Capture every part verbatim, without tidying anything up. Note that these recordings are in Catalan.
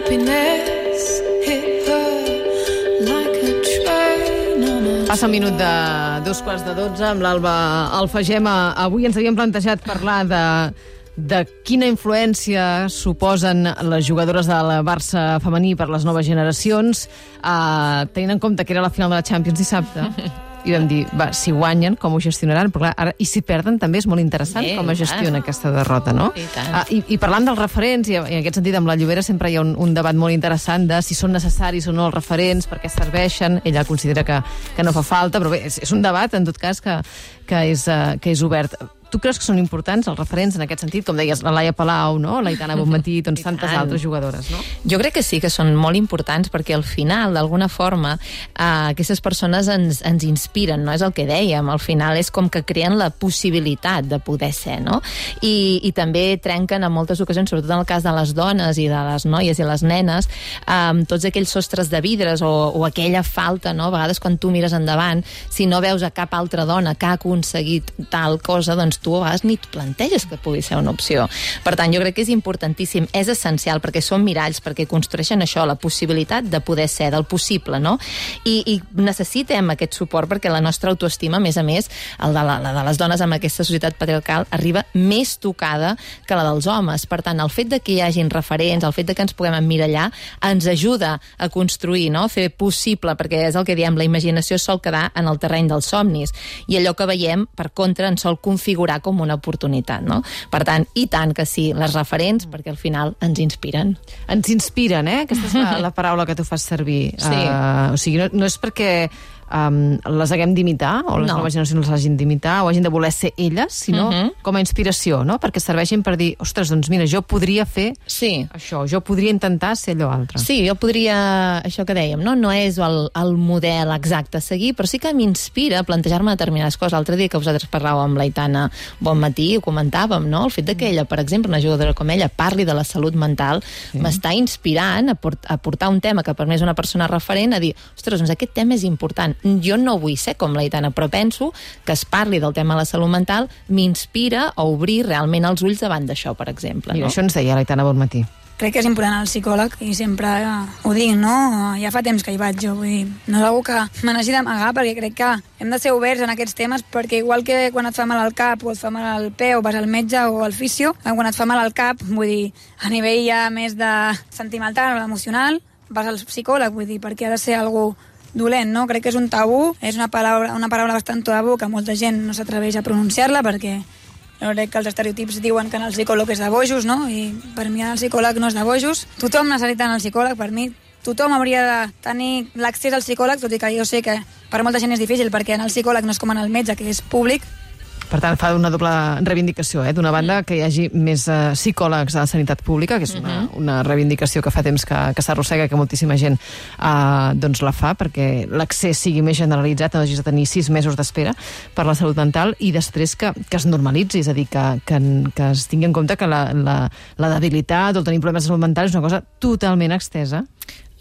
happiness hit her like a train on a... Passa un minut de dos quarts de dotze amb l'Alba Alfagema. Avui ens havíem plantejat parlar de de quina influència suposen les jugadores del Barça femení per les noves generacions, eh, tenint en compte que era la final de la Champions dissabte. I vam dir, va, si guanyen, com ho gestionaran? Però clar, ara, i si perden, també és molt interessant Bé, com es gestiona aquesta derrota, no? I tant. Ah, i, I parlant dels referents, i en aquest sentit amb la Llobera sempre hi ha un, un debat molt interessant de si són necessaris o no els referents, per què serveixen. Ella considera que, que no fa falta, però bé, és, és un debat, en tot cas, que, que, és, uh, que és obert. Tu creus que són importants els referents en aquest sentit? Com deies, la Laia Palau, no? l'Aitana Bonmatí, doncs tantes altres jugadores, no? Jo crec que sí, que són molt importants, perquè al final, d'alguna forma, eh, aquestes persones ens, ens inspiren, no? És el que dèiem, al final és com que creen la possibilitat de poder ser, no? I, i també trenquen en moltes ocasions, sobretot en el cas de les dones i de les noies i les nenes, amb tots aquells sostres de vidres o, o aquella falta, no? A vegades quan tu mires endavant, si no veus a cap altra dona que ha aconseguit tal cosa, doncs tu a vegades ni et planteges que pugui ser una opció. Per tant, jo crec que és importantíssim, és essencial, perquè són miralls, perquè construeixen això, la possibilitat de poder ser, del possible, no? I, i necessitem aquest suport perquè la nostra autoestima, a més a més, el de la, la de les dones amb aquesta societat patriarcal, arriba més tocada que la dels homes. Per tant, el fet de que hi hagin referents, el fet de que ens puguem emmirallar, ens ajuda a construir, no? A fer possible, perquè és el que diem, la imaginació sol quedar en el terreny dels somnis, i allò que veiem, per contra, ens sol configurar com una oportunitat, no? Per tant, i tant que sí, les referents, perquè al final ens inspiren. Ens inspiren, eh? Aquesta és la, la paraula que tu fas servir. Sí. Uh, o sigui, no, no és perquè um, les haguem d'imitar, o les No. noves generacions les hagin d'imitar, o hagin de voler ser elles, sinó Mhm. com a inspiració, no? Perquè serveixin per dir, ostres, doncs mira, jo podria fer Sí. això, jo podria intentar ser allò altre. Sí, jo podria, això que dèiem, no, no és el, el model exacte a seguir, però sí que m'inspira a plantejar-me determinades coses. L'altre dia que vosaltres parlàveu amb l'Aitana Bonmatí, ho comentàvem, no? El fet de que ella, per exemple, una jugadora com ella, parli de la salut mental, sí. m'està inspirant a, port, a portar un tema que per mi és una persona referent, a dir, ostres, doncs aquest tema és important. Jo no vull ser com l'Aitana, però penso que es parli del tema de la salut mental m'inspira a obrir realment els ulls davant d'això, per exemple. Mira, No? això ens deia l'Aitana Bonmatí. Crec que és important el psicòleg i sempre ho dic, no? Ja fa temps que hi vaig jo, vull dir, no és algú que me n'hagi d'amagar perquè crec que hem de ser oberts en aquests temes perquè igual que quan et fa mal al cap o et fa mal al peu vas al metge o al fisio, quan et fa mal al cap, vull dir, a nivell ja més de sentimental o emocional, vas al psicòleg, vull dir, perquè ha de ser algú dolent, no? Crec que és un tabú, és una paraula, una paraula bastant tabú que molta gent no s'atreveix a pronunciar-la perquè jo crec que els estereotips diuen que en el psicòleg és de bojos, no? I per mi el psicòleg no és de bojos. Tothom necessita el psicòleg, per mi. Tothom hauria de tenir l'accés al psicòleg, tot i que jo sé que per molta gent és difícil, perquè en el psicòleg no és com en el metge, que és públic. Per tant, fa una doble reivindicació, eh? D'una banda, que hi hagi més uh, psicòlegs a la sanitat pública, que és una, una reivindicació que fa temps que, que s'arrossega, que moltíssima gent uh, doncs la fa, perquè l'accés sigui més generalitzat, no hagis de tenir sis mesos d'espera per la salut mental, i després que, que es normalitzi, és a dir, que, que, que es tingui en compte que la, la, la debilitat o tenir problemes de salut mental és una cosa totalment extesa,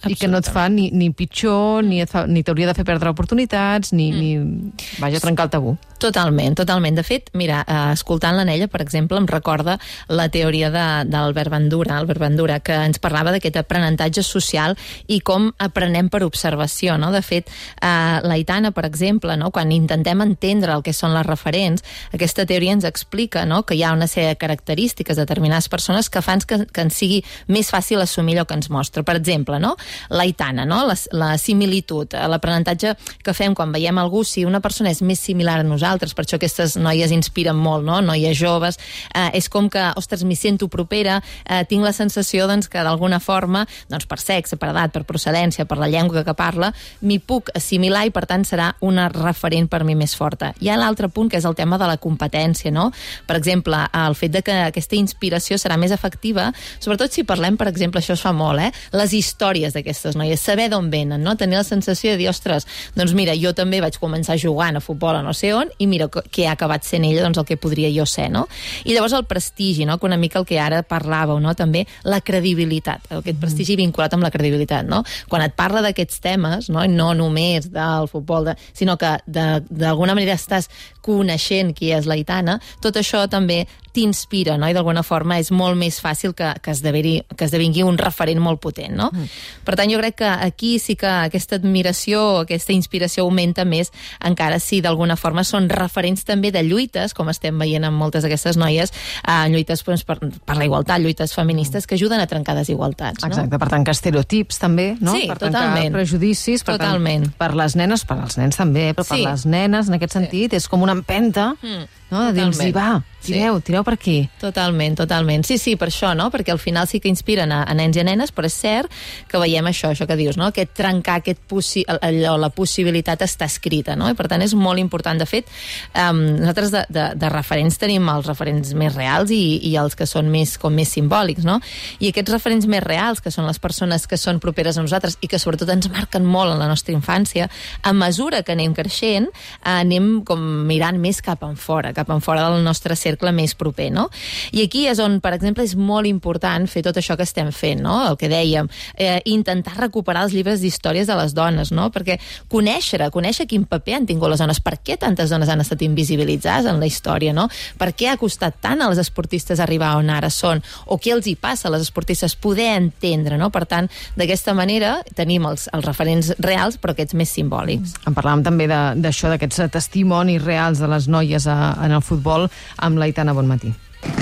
i que no et fa ni, ni pitjor, ni, et fa, ni t'hauria de fer perdre oportunitats, ni, mm. ni vaja, trencar el tabú. Totalment, totalment. De fet, mira, eh, escoltant l'Anella, per exemple, em recorda la teoria de, d'Albert Bandura, Albert Bandura, que ens parlava d'aquest aprenentatge social i com aprenem per observació, no? De fet, eh, l'Aitana, per exemple, no? Quan intentem entendre el que són les referents, aquesta teoria ens explica, no? Que hi ha una sèrie de característiques de determinades persones que fan que, que ens sigui més fàcil assumir allò que ens mostra. Per exemple, no? L'Aitana, no? La, la similitud, l'aprenentatge que fem quan veiem algú, si una persona és més similar a nosaltres, per això aquestes noies inspiren molt, no? Noies joves, eh, és com que, ostres, m'hi sento propera, eh, tinc la sensació doncs, que d'alguna forma, doncs, per sexe, per edat, per procedència, per la llengua que parla, m'hi puc assimilar i per tant serà una referent per mi més forta. Hi ha l'altre punt que és el tema de la competència, no? Per exemple, el fet de que aquesta inspiració serà més efectiva, sobretot si parlem, per exemple, això es fa molt, eh? Les històries d'aquestes noies, saber d'on venen, no? Tenir la sensació de dir, ostres, doncs mira, jo també vaig començar jugant a futbol a no sé on i mira què ha acabat sent ella, doncs el que podria jo ser, no? I llavors el prestigi, no? Que una mica el que ara parlàveu, no? També la credibilitat, aquest prestigi vinculat amb la credibilitat, no? Quan et parla d'aquests temes, no? No només del futbol, de, sinó que d'alguna manera estàs coneixent qui és l'Aitana, tot això també t'inspira, no? I d'alguna forma és molt més fàcil que, que, esdeveri, que esdevingui un referent molt potent, no? Mm. Per tant, jo crec que aquí sí que aquesta admiració, aquesta inspiració augmenta més, encara si d'alguna forma són referents també de lluites, com estem veient amb moltes d'aquestes noies, eh, lluites doncs, per, per la igualtat, lluites feministes que ajuden a trencar desigualtats, no? Exacte, per tancar estereotips també, no? Sí, per totalment. tancar prejudicis, per, Totalment. Tant, per les nenes, per als nens també, però per Sí. les nenes, en aquest sentit, és com una empenta, Mm. no? De dir-los, Totalment. va, tireu, tireu per aquí. Totalment, totalment. Sí, sí, per això, no? Perquè al final sí que inspiren a, a nens i a nenes, però és cert que veiem això, això que dius, no? Aquest trencar, aquest possi allò, la possibilitat està escrita, no? I per tant és molt important. De fet, um, nosaltres de, de, de referents tenim els referents més reals i, i els que són més, com més simbòlics, no? I aquests referents més reals, que són les persones que són properes a nosaltres i que sobretot ens marquen molt en la nostra infància, a mesura que anem creixent, anem com mirant més cap en fora, cap en fora del nostre cercle més proper, no? I aquí és on, per exemple, és molt important fer tot això que estem fent, no? El que dèiem, eh, intentar recuperar els llibres d'històries de les dones, no? Perquè conèixer, conèixer quin paper han tingut les dones, per què tantes dones han estat invisibilitzades en la història, no? Per què ha costat tant a les esportistes arribar on ara són, o què els hi passa a les esportistes, poder entendre, no? Per tant, d'aquesta manera tenim els, els referents reals, però aquests més simbòlics. En parlàvem també d'això, d'aquests testimonis reals de les noies a, en el futbol, amb l'Aitana Bonmatí.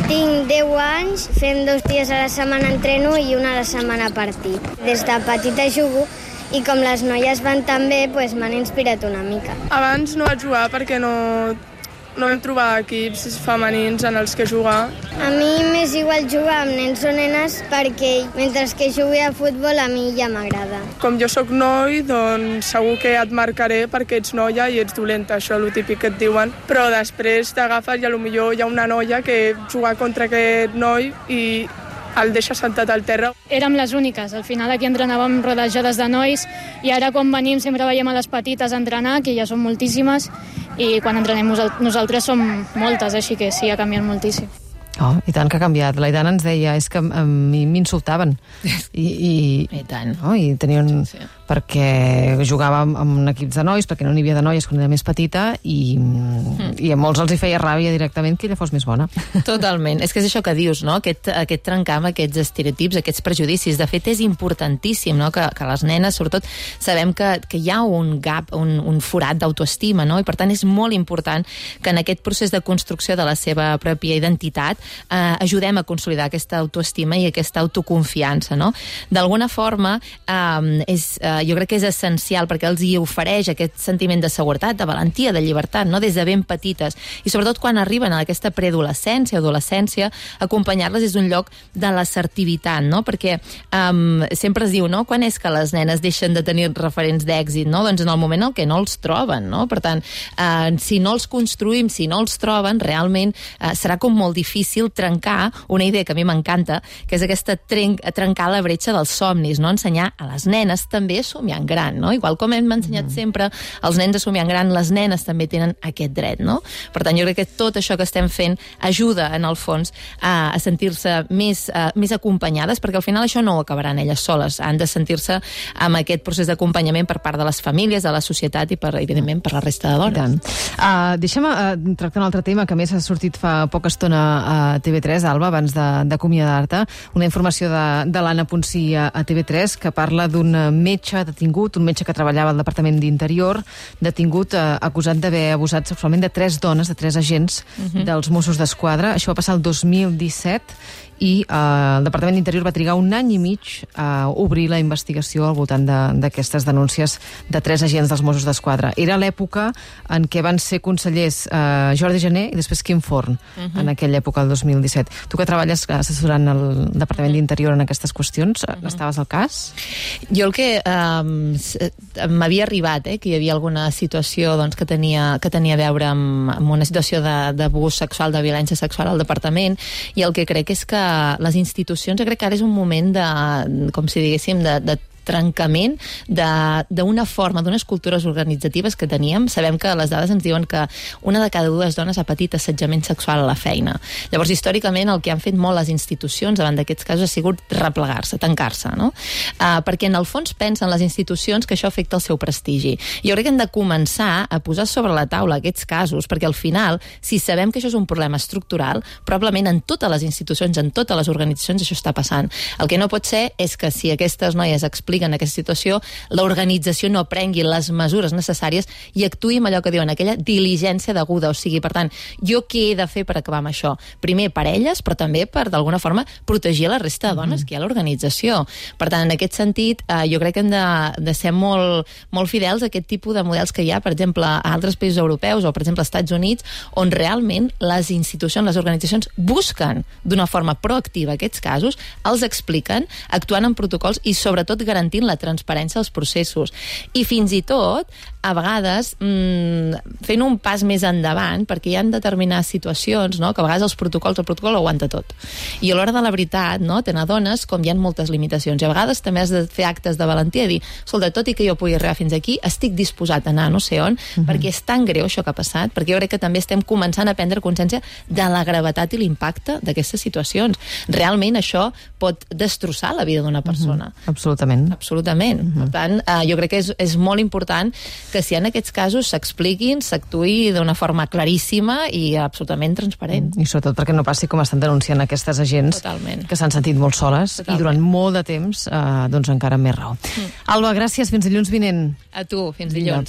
Tinc deu anys, fem dos dies a la setmana entreno i una a la setmana partit. Des de petita jugo i com les noies van tan bé, pues, m'han inspirat una mica. Abans no vaig jugar perquè no, no vam trobar equips femenins en els que jugar. A mi m'és igual jugar amb nens o nenes perquè mentre que jugui a futbol a mi ja m'agrada. Com jo sóc noi, doncs segur que et marcaré perquè ets noia i ets dolenta, això és el típic que et diuen. Però després t'agafes i potser hi ha una noia que juga contra aquest noi i el deixa sentat al terra. Érem les úniques. Al final aquí entrenàvem rodejades de nois i ara quan venim sempre veiem a les petites entrenar, que ja són moltíssimes, i quan entrenem nosaltres som moltes, així que sí, ha canviat moltíssim. Oh, i tant que ha canviat. L'Aitana ens deia, és que a mi m'insultaven. I, i, I tant. No? I tenien... Sí. perquè jugava amb, amb equips de nois, perquè no n'hi havia de noies quan era més petita, i, mm. i a molts els hi feia ràbia directament que ella fos més bona. Totalment. És que és això que dius, no? Aquest, aquest trencar amb aquests estereotips, aquests prejudicis. De fet, és importantíssim, no? Que, que les nenes, sobretot, sabem que, que hi ha un gap, un, un forat d'autoestima, no? I per tant és molt important que en aquest procés de construcció de la seva pròpia identitat eh, ajudem a consolidar aquesta autoestima i aquesta autoconfiança, no? D'alguna forma, eh, és, eh, jo crec que és essencial perquè els hi ofereix aquest sentiment de seguretat, de valentia, de llibertat, no? Des de ben petites. I sobretot quan arriben a aquesta preadolescència o adolescència, acompanyar-les és un lloc de l'assertivitat, no? Perquè um, sempre es diu, no? Quan és que les nenes deixen de tenir referents d'èxit, no? Doncs en el moment en què no els troben, no? Per tant, uh, si no els construïm, si no els troben, realment uh, serà com molt difícil trencar una idea que a mi m'encanta, que és aquesta tren trencar la bretxa dels somnis, no? Ensenyar a les nenes també a somiar en gran, no? Igual com hem ensenyat mm. sempre als nens a somiar en gran, les nenes també tenen aquest dret, no? Per tant, jo crec que tot això que estem fent ajuda, en el fons, a, a sentir-se més, uh, més acompanyades, perquè al final això no ho acabaran elles soles, han de sentir-se amb aquest procés d'acompanyament per part de les famílies, de la societat i, per, evidentment, per la resta de dones. Uh, deixa'm uh, tractar un altre tema que més ha sortit fa poca estona a T V tres, Alba, abans d'acomiadar-te, una informació de, de l'Anna Ponsí a, a T V tres que parla d'un metge detingut, un metge que treballava al Departament d'Interior, detingut uh, acusat d'haver abusat sexualment de tres dones, de tres agents uh-huh. dels Mossos d'Esquadra. Això va passar el dos mil disset i eh, el Departament d'Interior va trigar un any i mig a obrir la investigació al voltant d'aquestes de, denúncies de tres agents dels Mossos d'Esquadra. Era l'època en què van ser consellers eh, Jordi Jané i després Quim Forn, uh-huh. en aquella època, el dos mil disset. Tu que treballes assessorant el Departament uh-huh. d'Interior en aquestes qüestions, uh-huh. estaves al cas? Jo el que um, m'havia arribat, eh, que hi havia alguna situació doncs, que, tenia, que tenia a veure amb, amb una situació d'abús sexual, de violència sexual al Departament, i el que crec és que les institucions, jo crec que ara és un moment de, com si diguéssim, de, de trencament d'una forma, d'unes cultures organitzatives que teníem. Sabem que les dades ens diuen que una de cada dues dones ha patit assetjament sexual a la feina. Llavors, històricament, el que han fet molt les institucions davant d'aquests casos ha sigut replegar-se, tancar-se, no? Uh, perquè en el fons pensen les institucions que això afecta el seu prestigi. Jo crec que hem de començar a posar sobre la taula aquests casos, perquè al final, si sabem que això és un problema estructural, probablement en totes les institucions, en totes les organitzacions, això està passant. El que no pot ser és que si aquestes noies expliquen aquesta situació, l'organització no prengui les mesures necessàries i actuï amb allò que diuen, aquella diligència deguda. O sigui, per tant, jo què he de fer per acabar amb això? Primer per elles, però també per, d'alguna forma, protegir la resta de dones que hi ha a l'organització. Per tant, en aquest sentit, eh, jo crec que hem de, de ser molt, molt fidels a aquest tipus de models que hi ha, per exemple, a altres països europeus o, per exemple, als Estats Units, on realment les institucions, les organitzacions busquen d'una forma proactiva aquests casos, els expliquen, actuant en protocols i, sobretot, garantint la transparència dels processos. I fins i tot, a vegades, mmm, fent un pas més endavant, perquè hi ha determinades situacions, no?, que a vegades els protocols, el protocol ho aguanta tot. I a l'hora de la veritat, no?, te n'adones com hi ha moltes limitacions. I a vegades també has de fer actes de valentia i dir, escolta, tot i que jo pugui arribar fins aquí, estic disposat a anar no sé on, uh-huh. perquè és tan greu això que ha passat, perquè jo crec que també estem començant a prendre consciència de la gravetat i l'impacte d'aquestes situacions. Realment això pot destrossar la vida d'una persona. Uh-huh. Absolutament. Absolutament. Uh-huh. Per tant, eh, jo crec que és, és molt important que si en aquests casos s'expliquin, s'actuï d'una forma claríssima i absolutament transparent. I sobretot perquè no passi com estan denunciant aquestes agents Totalment. que s'han sentit molt soles Totalment. i durant molt de temps, eh, doncs encara amb més raó. Mm. Alba, gràcies. Fins dilluns vinent. A tu, fins dilluns.